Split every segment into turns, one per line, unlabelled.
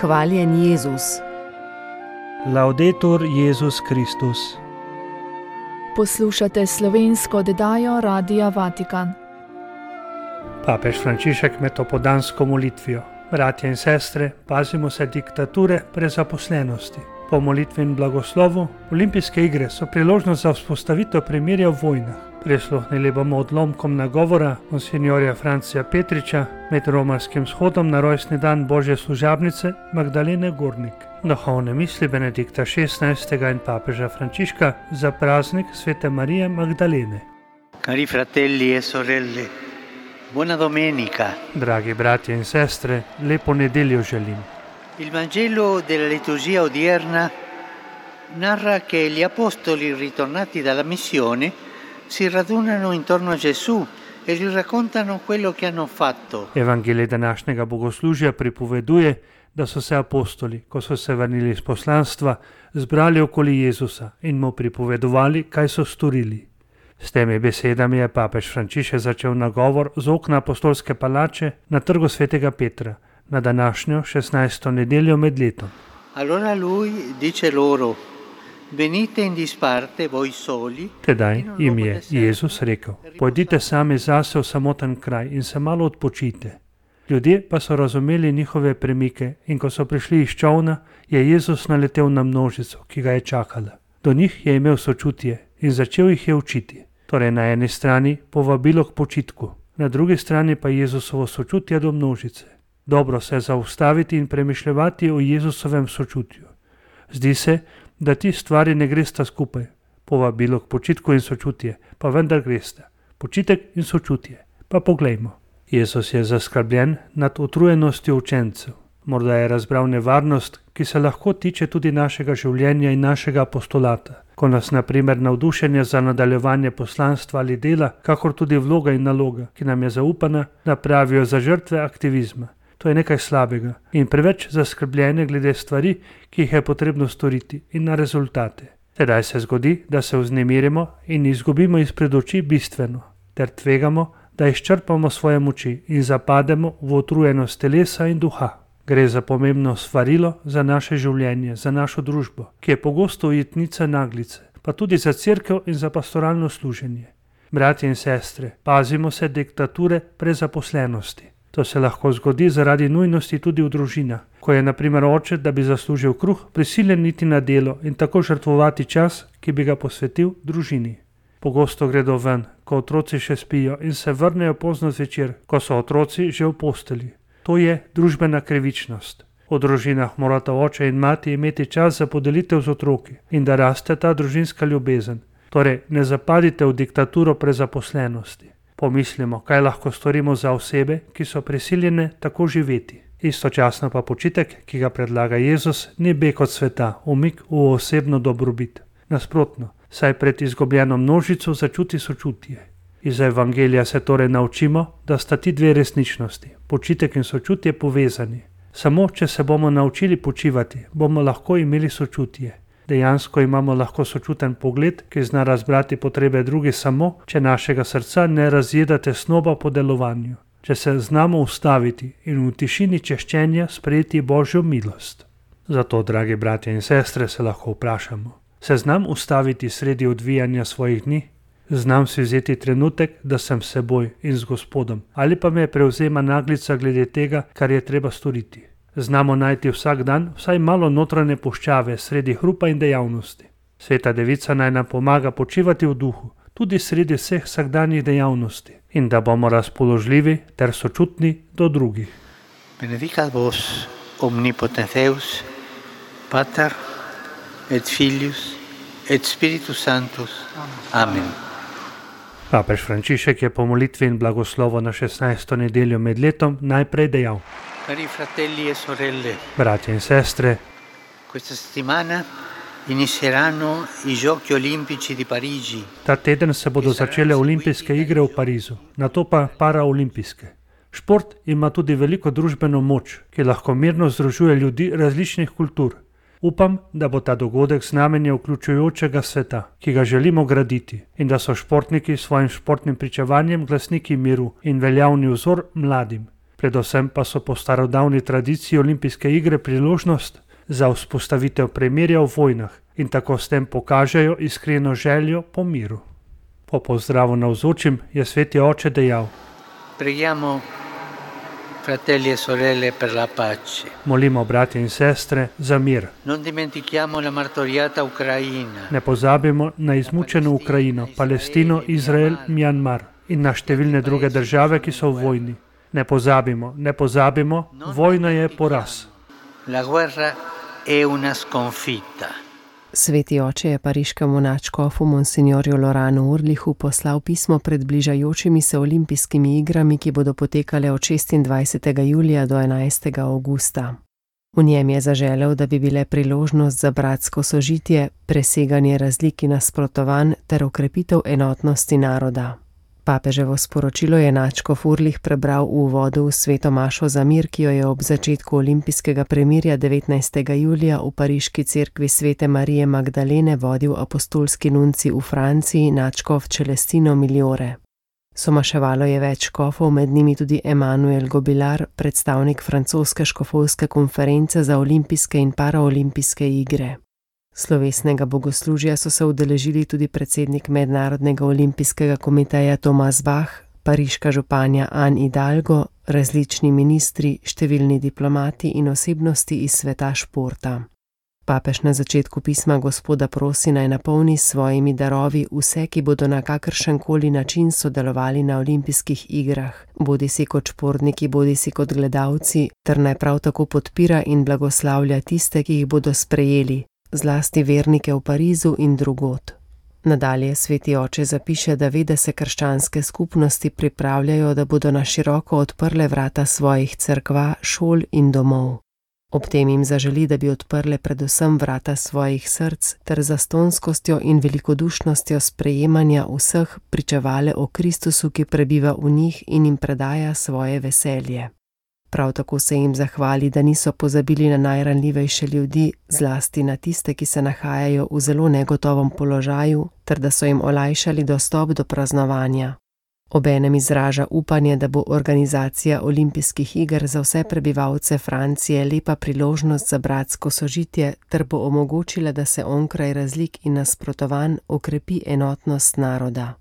Hvaljen Jezus.
Laudetur Jezus Kristus.
Poslušate slovensko oddajo Radia Vatikan.
Papež Frančišek med opoldansko molitvijo. Bratje in sestre, pazimo se diktature prezaposlenosti. Po molitvi in blagoslovu olimpijske igre so priložnost za vzpostavitev premirja v vojnah. Prisluhnili bomo odlomkom nagovora monsinjorja Francija Petriča med romarskim shodom na rojstni dan Božje služabnice Magdalene Gornik. Duhovne misli Benedikta XVI. In papeža Frančiška za praznik Svete Marije Magdalene.
Cari fratelli e sorelle, buona domenica.
Dragi bratje in sestre, lepo nedeljo želim.
Il Vangelo della liturgia odierna narra che gli apostoli ritornati dalla missione si radunano intorno a Gesù e gli raccontano quello che hanno fatto.
Evangelij današnjega bogoslužja pripoveduje, da so se apostoli, ko so se vrnili iz poslanstva, zbrali okoli Jezusa in mu pripovedovali, kaj so storili. S temi besedami je papež Frančišek začel nagovor z okna apostolske palače na trgu svetega Petra na današnjo 16. nedeljo med letom.
Allora lui dice loro: Venite in disparte voi soli.
Tedaj jim je Jezus rekel: Pojdite sami zase v samoten kraj in se malo odpočite. Ljudje pa so razumeli njihove premike in ko so prišli iz čolna, je Jezus naletel na množico, ki ga je čakala. Do njih je imel sočutje in začel jih je učiti. Torej na eni strani povabilo k počitku, na drugi strani pa Jezusovo sočutje do množice. Dobro se zaustaviti in premišljevati o Jezusovem sočutju. Zdi se, da ti stvari ne gresta skupaj. Povabilo k počitku in sočutje, pa vendar gresta. Počitek in sočutje. Pa poglejmo. Jezus je zaskrbljen nad utrujenostjo učencev. Morda je razbral nevarnost, ki se lahko tiče tudi našega življenja in našega apostolata. Ko nas na primer navdušenje za nadaljevanje poslanstva ali dela, kakor tudi vloga in naloga, ki nam je zaupana, napravijo za žrtve aktivizma. To je nekaj slabega in preveč zaskrbljene glede stvari, ki jih je potrebno storiti in na rezultate. Tedaj se zgodi, da se vznemirimo in izgubimo izpred oči bistveno, ter tvegamo, da izčrpamo svoje moči in zapademo v utrujenost telesa in duha. Gre za pomembno svarilo za naše življenje, za našo družbo, ki je pogosto ujetnica naglice, pa tudi za cerkev in za pastoralno služenje. Bratje in sestre, pazimo se diktature prezaposlenosti. To se lahko zgodi zaradi nujnosti tudi v družinah, ko je na primer oče, da bi zaslužil kruh, prisiljen iti na delo in tako žrtvovati čas, ki bi ga posvetil družini. Pogosto gredo ven, ko otroci še spijo in se vrnejo pozno zvečer, ko so otroci že v posteli. To je družbena krivičnost. V družinah morata oče in mati imeti čas za podelitev z otroki in da raste ta družinska ljubezen. Torej, ne zapadite v diktaturo prezaposlenosti. Pomislimo, kaj lahko storimo za osebe, ki so prisiljene tako živeti. Istočasno pa počitek, ki ga predlaga Jezus, ni beg od sveta, umik v osebno dobrobit. Nasprotno, saj pred izgubljeno množico začuti sočutje. Iz Evangelija se torej naučimo, da sta ti dve resničnosti, počitek in sočutje, povezani. Samo, če se bomo naučili počivati, bomo lahko imeli sočutje. Dejansko imamo lahko sočuten pogled, ki zna razbrati potrebe drugih samo, če našega srca ne razjeda tesnoba po delovanju. Če se znamo ustaviti in v tišini češčenja sprejeti Božjo milost. Zato, dragi bratje in sestre, se lahko vprašamo. Se znam ustaviti sredi odvijanja svojih dni? Znam si vzeti trenutek, da sem s seboj in z Gospodom, ali pa me prevzema naglica glede tega, kar je treba storiti. Znamo najti vsak dan vsaj malo notranje puščave sredi hrupa in dejavnosti. Sveta Devica naj nam pomaga počivati v duhu, tudi sredi vseh vsakdanjih dejavnosti, in da bomo razpoložljivi ter sočutni do drugih.
Benedicat vos omnipotens Deus, Pater et Filius et Spiritus Sanctus. Amen.
Papež Frančišek je po molitvi in blagoslovu na 16. nedeljo med letom najprej dejal:
Cari fratelli e sorelle,
bratje in sestre,
questa settimana inizieranno i Giochi Olimpici di Parigi.
Ta teden se bodo začele olimpijske igre v Parizu, nato pa paraolimpijske. Šport ima tudi veliko družbeno moč, ki lahko mirno združuje ljudi različnih kultur. Upam, da bo ta dogodek znamenje vključujočega sveta, ki ga želimo graditi, in da so športniki s svojim športnim pričevanjem glasniki miru in veljavni vzor mladim. Predvsem pa so po starodavni tradiciji olimpijske igre priložnost za vzpostavitev premirja v vojnah in tako s tem pokažejo iskreno željo po miru. Po pozdravu navzočim je sveti oče dejal:
Preghiamo, fratelli e sorelle, per la pace.
Molimo bratje in sestre za mir.
Non dimentichiamo la martoriata Ucraina.
Ne pozabimo na izmučeno Ukrajino, Palestino, Izrael, Mjanmar in na številne druge države, ki so v vojni. Ne pozabimo, vojna je poraz.
La guerra è una sconfitta.
Sveti oče je pariškemu nadškofu monsignorju Loranu Urlihu poslal pismo pred bližajočimi se olimpijskimi igrami, ki bodo potekale od 26. julija do 11. avgusta. V njem je zaželel, da bi bile priložnost za bratsko sožitje, preseganje razlik in nasprotovanj ter okrepitev enotnosti naroda. Papeževo sporočilo je nadškof Urlih prebral v uvodu v sveto mašo za mir, ki jo je ob začetku olimpijskega premirja 19. julija v pariški cerkvi svete Marije Magdalene vodil apostolski nunci v Franciji nadškof Celestino Migliore. Somaševalo je več škofov, med njimi tudi Emmanuel Gobilar, predstavnik francoske škofovske konference za olimpijske in paraolimpijske igre. Slovesnega bogoslužja so se udeležili tudi predsednik Mednarodnega olimpijskega komiteja Tomas Bach, pariška županja Anne Hidalgo, različni ministri, številni diplomati in osebnosti iz sveta športa. Papež na začetku pisma Gospoda prosi, naj napolni s svojimi darovi vse, ki bodo na kakršenkoli način sodelovali na olimpijskih igrah, bodisi kot športniki, bodisi kot gledalci, ter naj prav tako podpira in blagoslavlja tiste, ki jih bodo sprejeli, zlasti vernike v Parizu in drugod. Nadalje sveti oče zapiše, da ve, da se krščanske skupnosti pripravljajo, da bodo na široko odprle vrata svojih cerkva, šol in domov. Ob tem jim zaželi, da bi odprle predvsem vrata svojih src ter zastonskostjo in velikodušnostjo sprejemanja vseh pričevale o Kristusu, ki prebiva v njih in jim predaja svoje veselje. Prav tako se jim zahvali, da niso pozabili na najranljivejše ljudi, zlasti na tiste, ki se nahajajo v zelo negotovem položaju, ter da so jim olajšali dostop do praznovanja. Obenem izraža upanje, da bo organizacija olimpijskih iger za vse prebivalce Francije lepa priložnost za bratsko sožitje ter bo omogočila, da se onkraj razlik in nasprotovanj okrepi enotnost naroda.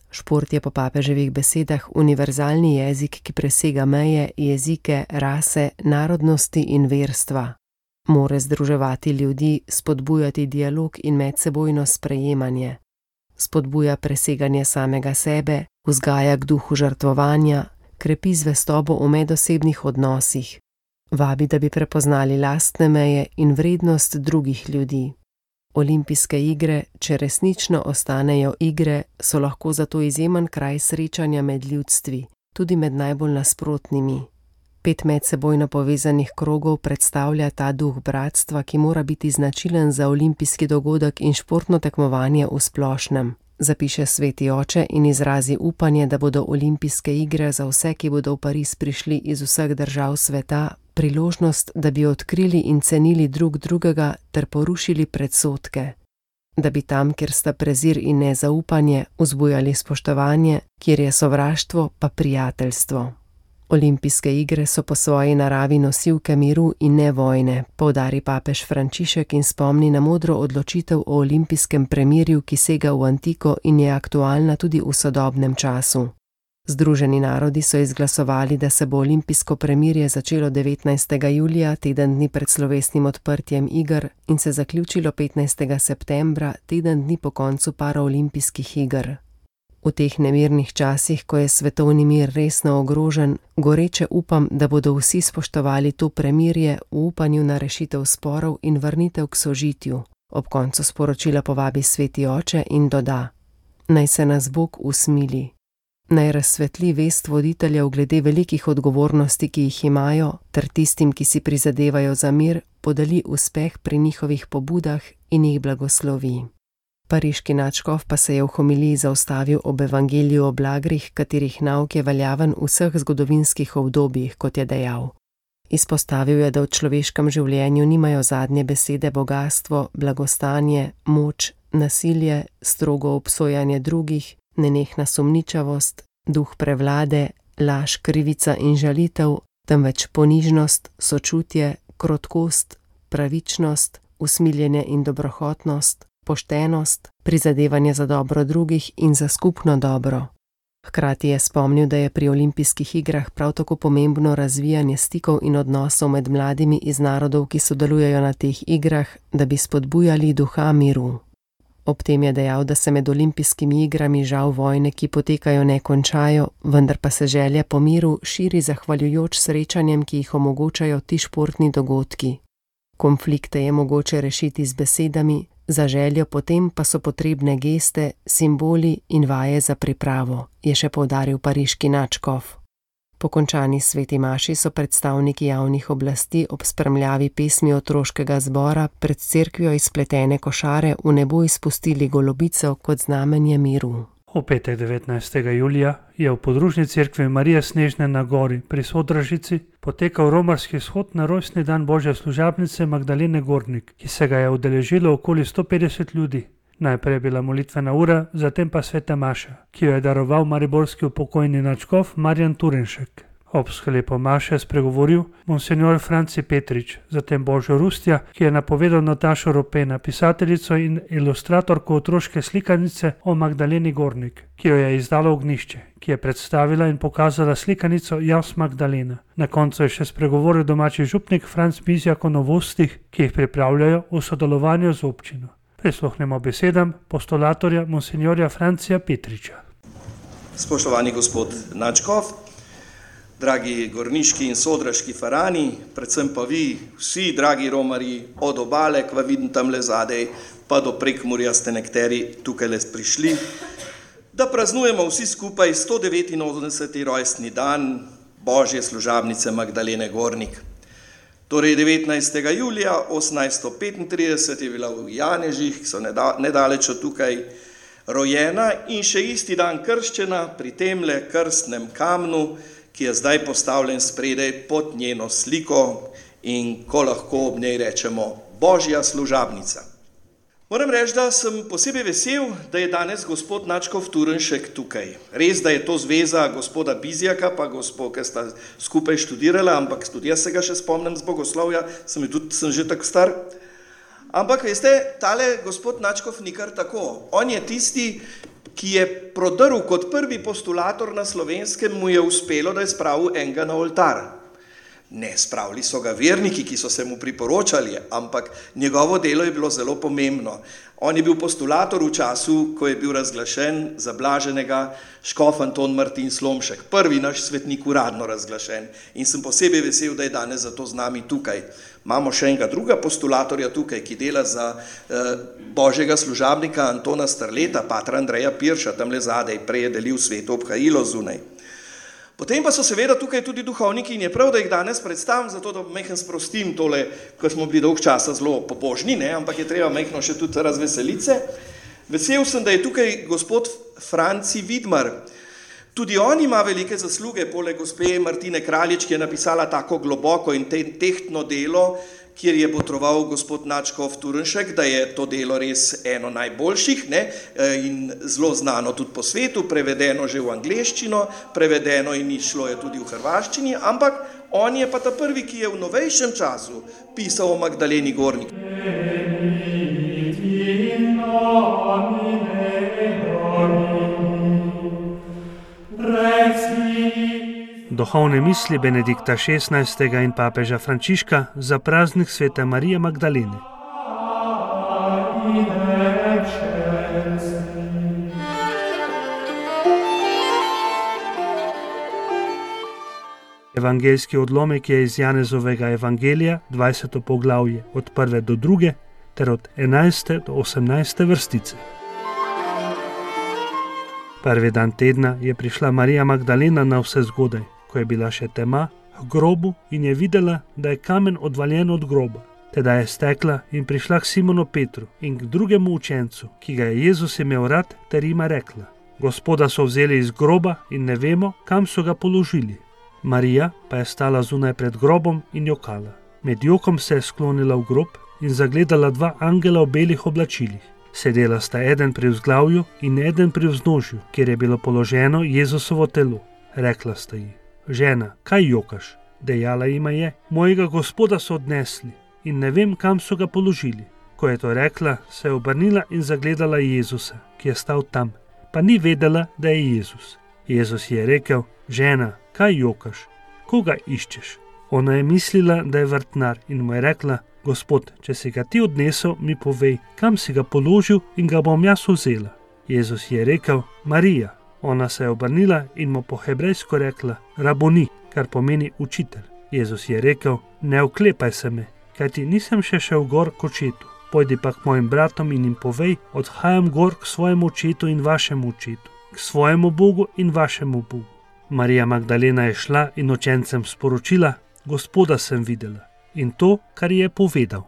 Šport je po papeževih besedah univerzalni jezik, ki presega meje, jezike, rase, narodnosti in verstva. More združevati ljudi, spodbujati dialog in medsebojno sprejemanje. Spodbuja preseganje samega sebe, vzgaja k duhu žrtvovanja, krepi zvestobo v medosebnih odnosih. Vabi, da bi prepoznali lastne meje in vrednost drugih ljudi. Olimpijske igre, če resnično ostanejo igre, so lahko zato izjemen kraj srečanja med ljudstvi, tudi med najbolj nasprotnimi. 5 medsebojno povezanih krogov predstavlja ta duh bratstva, ki mora biti značilen za olimpijski dogodek in športno tekmovanje v splošnem, zapiše sveti oče in izrazi upanje, da bodo olimpijske igre za vse, ki bodo v Pariz prišli iz vseh držav sveta, priložnost, da bi odkrili in cenili drug drugega ter porušili predsodke. Da bi tam, kjer sta prezir in nezaupanje, vzbujali spoštovanje, kjer je sovraštvo, pa prijateljstvo. Olimpijske igre so po svoji naravi nosilke miru in ne vojne, poudari papež Frančišek in spomni na modro odločitev o olimpijskem premirju, ki sega v antiko in je aktualna tudi v sodobnem času. Združeni narodi so izglasovali, da se bo olimpijsko premirje začelo 19. julija, teden dni pred slovesnim odprtjem iger, in se zaključilo 15. septembra, teden dni po koncu paraolimpijskih iger. V teh nemirnih časih, ko je svetovni mir resno ogrožen, goreče upam, da bodo vsi spoštovali to premirje v upanju na rešitev sporov in vrnitev k sožitju. Ob koncu sporočila povabi sveti oče in doda: naj se nas Bog usmili. Naj razsvetli vest voditeljev glede velikih odgovornosti, ki jih imajo, ter tistim, ki si prizadevajo za mir, podeli uspeh pri njihovih pobudah in jih blagoslovi. Pariški nadškof pa se je v homiliji zaustavil ob evangeliju o blagrih, katerih nauk je veljaven v vseh zgodovinskih obdobjih, kot je dejal. Izpostavil je, da v človeškem življenju nimajo zadnje besede bogastvo, blagostanje, moč, nasilje, strogo obsojanje drugih, nenehna sumničavost, duh prevlade, laž, krivica in žalitev, temveč ponižnost, sočutje, krotkost, pravičnost, usmiljenje in dobrohotnost, poštenost, prizadevanje za dobro drugih in za skupno dobro. Hkrati je spomnil, da je pri olimpijskih igrah prav tako pomembno razvijanje stikov in odnosov med mladimi iz narodov, ki sodelujejo na teh igrah, da bi spodbujali duha miru. Ob tem je dejal, da se med olimpijskimi igrami žal vojne, ki potekajo, ne končajo, vendar pa se želja po miru širi zahvaljujoč srečanjem, ki jih omogočajo ti športni dogodki. Konflikte je mogoče rešiti z besedami, za željo potem pa so potrebne geste, simboli in vaje za pripravo, je še poudaril pariški nadškof. Po končani sveti maši so predstavniki javnih oblasti ob spremljavi pesmi otroškega zbora pred cerkvijo iz pletene košare v nebo izpustili golobico kot znamenje miru.
V petek 19. julija je v podružni cerkvi Marije Snežne na gori pri Sodražici potekal romarski shod na rojstni dan Božje služabnice Magdalene Gornik, ki se ga je udeležilo okoli 150 ljudi. Najprej je bila molitvena ura, zatem pa sveta maša, ki jo je daroval mariborski upokojeni nadškof Marjan Turenšek. Ob sklepu maše je spregovoril monsignor Franci Petrič, zatem Božo Rustja, ki je napovedal Natašo Ropena, pisateljico in ilustratorko otroške slikanice o Magdaleni Gornik, ki jo je izdalo Ognjišče, ki je predstavila in pokazala slikanico Jas Magdalena. Na koncu je še spregovoril domači župnik Franc Bizjak o novostih, ki jih pripravljajo v sodelovanju z občino. Prisluhnemo besedam postulatorja monsignorja Francija Petriča.
Spoštovani gospod nadškof, dragi gorniški in sodraški farani, predvsem pa vi, vsi dragi romarji, od obale, kva vidim tamle zadej, pa do Prekmurja ste nekateri tukaj le prišli, da praznujemo vsi skupaj 189. rojstni dan Božje služabnice Magdalene Gornik. Torej 19. julija 1835 je bila v Janežih, ki so nedaleč od tukaj, rojena in še isti dan krščena pri temle krstnem kamnu, ki je zdaj postavljen spredaj pod njeno sliko in ko lahko ob njej rečemo Božja služabnica. Moram reči, da sem posebej vesel, da je danes gospod nadškof Turenšek tukaj. Res, da je to zveza gospoda Bizjaka pa gospod, ki sta skupaj študirala, ampak tudi jaz se ga še spomnim z bogoslovja, sem že tako star. Ampak veste, tale gospod nadškof ni kar tako. On je tisti, ki je prodrl kot prvi postulator na Slovenskem, mu je uspelo, da je spravil enega na oltar. Ne, spravili so ga verniki, ki so se mu priporočali, ampak njegovo delo je bilo zelo pomembno. On je bil postulator v času, ko je bil razglašen za blaženega škof Anton Martin Slomšek, prvi naš svetnik uradno razglašen. In sem posebej vesel, da je danes zato z nami tukaj. Imamo še enega druga postulatorja tukaj, ki dela za Božjega služabnika Antona Strleta, patra Andreja Pirša, tamle zadej, prej je delil sveto obhajilo zunaj. Potem pa so seveda tukaj tudi duhovniki in je prav, da jih danes predstavim, zato da mehko sprostim tole, ko smo bili dolg časa zelo pobožni, ampak je treba mehko še tudi razveselice. Vesel sem, da je tukaj gospod Franci Vidmar. Tudi on ima velike zasluge, poleg gospe Martine Kraljič, ki je napisala tako globoko in tehtno delo, kjer je botroval gospod nadškof Turenšek, da je to delo res eno najboljših in zelo znano tudi po svetu, prevedeno že v angleščino, prevedeno in išlo je tudi v hrvaščini, ampak on je pa ta prvi, ki je v novejšem času pisal o Magdaleni Gornik.
Duhovne misli Benedikta XVI. In papeža Frančiška za praznik svete Marije Magdalene. Evangeljski odlomek je iz Janezovega evangelija, 20. poglavje, od 1. do 2. ter od 11. do 18. vrstice. Prvi dan tedna je prišla Marija Magdalena na vse zgodaj, ko je bila še tema, k grobu in je videla, da je kamen odvaljen od groba. Teda je stekla in prišla k Simonu Petru in k drugemu učencu, ki ga je Jezus imel rad, ter jima rekla: Gospoda so vzeli iz groba in ne vemo, kam so ga položili. Marija pa je stala zunaj pred grobom in jokala. Med jokom se je sklonila v grob in zagledala dva angela v belih oblačilih. Sedela sta eden pri vzglavju in eden pri vznožju, kjer je bilo položeno Jezusovo telo. Rekla sta ji: Žena, kaj jokaš? Dejala jima je: Mojega Gospoda so odnesli in ne vem, kam so ga položili. Ko je to rekla, se je obrnila in zagledala Jezusa, ki je stal tam, pa ni vedela, da je Jezus. Jezus je rekel: Žena, kaj jokaš? Koga iščeš? Ona je mislila, da je vrtnar in mu je rekla: Gospod, če si ga ti odnesel, mi povej, kam si ga položil in ga bom jaz vzela. Jezus je rekel: Marija. Ona se je obrnila in mu po hebrejsko rekla: Raboni, kar pomeni učitelj. Jezus je rekel: Ne oklepaj se me, kajti nisem še šel gor k očetu. Pojdi pa k mojim bratom in jim povej: Odhajam gor k svojemu očetu in vašemu očetu, k svojemu Bogu in vašemu Bogu. Marija Magdalena je šla in učencem sporočila: Gospoda sem videla, in to, kar je povedal.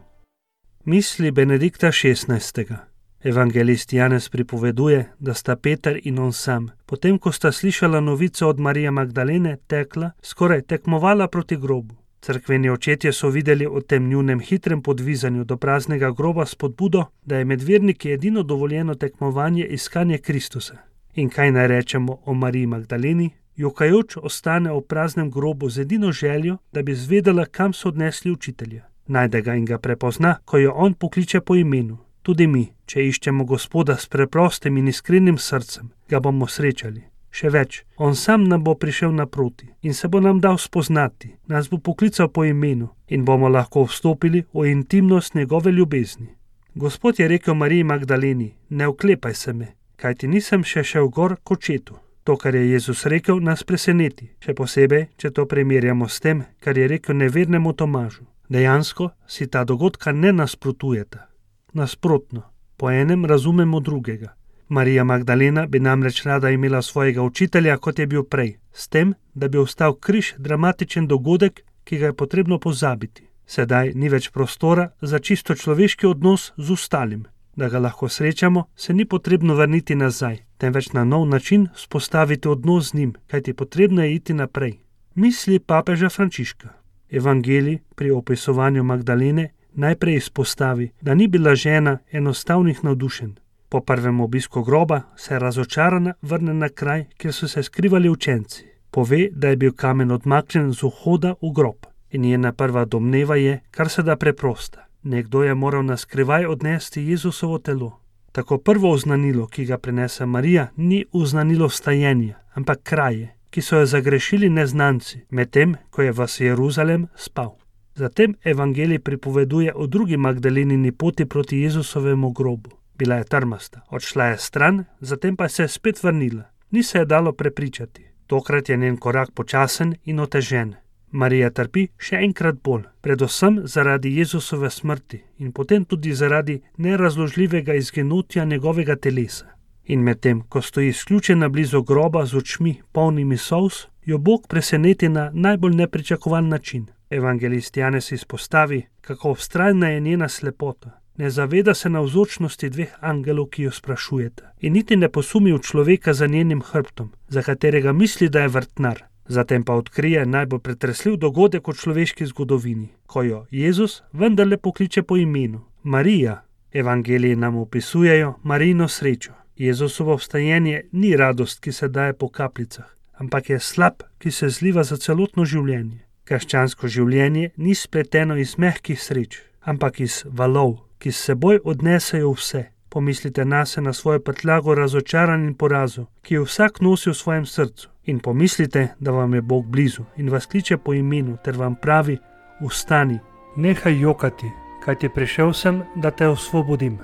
Misli Benedikta 16. Evangelist Janez pripoveduje, da sta Peter in on sam, potem ko sta slišala novico od Marije Magdalene, tekla, skoraj tekmovala proti grobu. Cerkveni očetje so videli o tem njunem hitrem podvizanju do praznega groba spodbudo, da je med verniki edino dovoljeno tekmovanje iskanje Kristusa. In kaj naj rečemo o Mariji Magdaleni? Jokajoč ostane v praznem grobu z edino željo, da bi zvedela, kam so odnesli učitelja. Najde ga in ga prepozna, ko jo on pokliče po imenu. Tudi mi, če iščemo Gospoda s preprostim in iskrenim srcem, ga bomo srečali. Še več, on sam nam bo prišel naproti in se bo nam dal spoznati, nas bo poklical po imenu in bomo lahko vstopili v intimnost njegove ljubezni. Gospod je rekel Mariji Magdaleni: Ne oklepaj se me, kajti nisem še šel gor k očetu. To, kar je Jezus rekel, nas preseneti, še posebej, če to primerjamo s tem, kar je rekel nevernemu Tomažu. Dejansko si ta dogodka ne nasprotujeta. Nasprotno, po enem razumemo drugega. Marija Magdalena bi namreč rada imela svojega učitelja, kot je bil prej, s tem, da bi ostal križ dramatičen dogodek, ki ga je potrebno pozabiti. Sedaj ni več prostora za čisto človeški odnos z ostalim. Da ga lahko srečamo, se ni potrebno vrniti nazaj, temveč na nov način vzpostaviti odnos z njim, kajti potrebno je iti naprej. Misli papeža Frančiška. Evangelij pri opisovanju Magdalene najprej izpostavi, da ni bila žena enostavnih navdušenj. Po prvem obisku groba se razočarana vrne na kraj, kjer so se skrivali učenci. Pove, da je bil kamen odmaknjen z vhoda v grob. In njena prva domneva je, kar se da preprosta. Nekdo je moral na skrivaj odnesti Jezusovo telo. Tako prvo oznanilo, ki ga prinese Marija, ni oznanilo vstajenja, ampak kraje, ki so jo zagrešili neznanci, medtem ko je vas Jeruzalem spal. Zatem evangelij pripoveduje o drugi Magdalenini poti proti Jezusovemu grobu. Bila je trmasta, odšla je stran, zatem pa se je spet vrnila. Ni se je dalo prepričati. Tokrat je njen korak počasen in otežen. Marija trpi še enkrat bolj, predvsem zaradi Jezusove smrti in potem tudi zaradi nerazložljivega izginotja njegovega telesa. In medtem, ko stoji izključena blizu groba z očmi polnimi solz, jo Bog preseneti na najbolj nepričakovan način. Evangelist Janez izpostavi, kako vztrajna je njena slepota. Ne zaveda se navzočnosti dveh angelov, ki jo sprašujeta, in niti ne posumi v človeka za njenim hrbtom, za katerega misli, da je vrtnar. Zatem pa odkrije najbolj pretresljiv dogodek v človeški zgodovini, ko jo Jezus vendarle pokliče po imenu. Marija. Evangeliji nam opisujejo Marijino srečo. Jezusovo vstajenje ni radost, ki se daje po kapljicah, ampak je slap, ki se zliva za celotno življenje. Krščansko življenje ni spleteno iz mehkih sreč, ampak iz valov, ki s seboj odnesejo vse. Pomislite nase na svojo prtljago razočaranj in porazov, ki jo vsak nosi v svojem srcu. In pomislite, da vam je Bog blizu in vas kliče po imenu ter vam pravi: vstani.
Nehaj jokati, kajti prišel sem, da te osvobodim.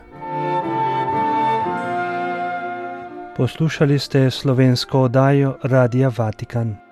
Poslušali ste slovensko oddajo Radia Vatikan.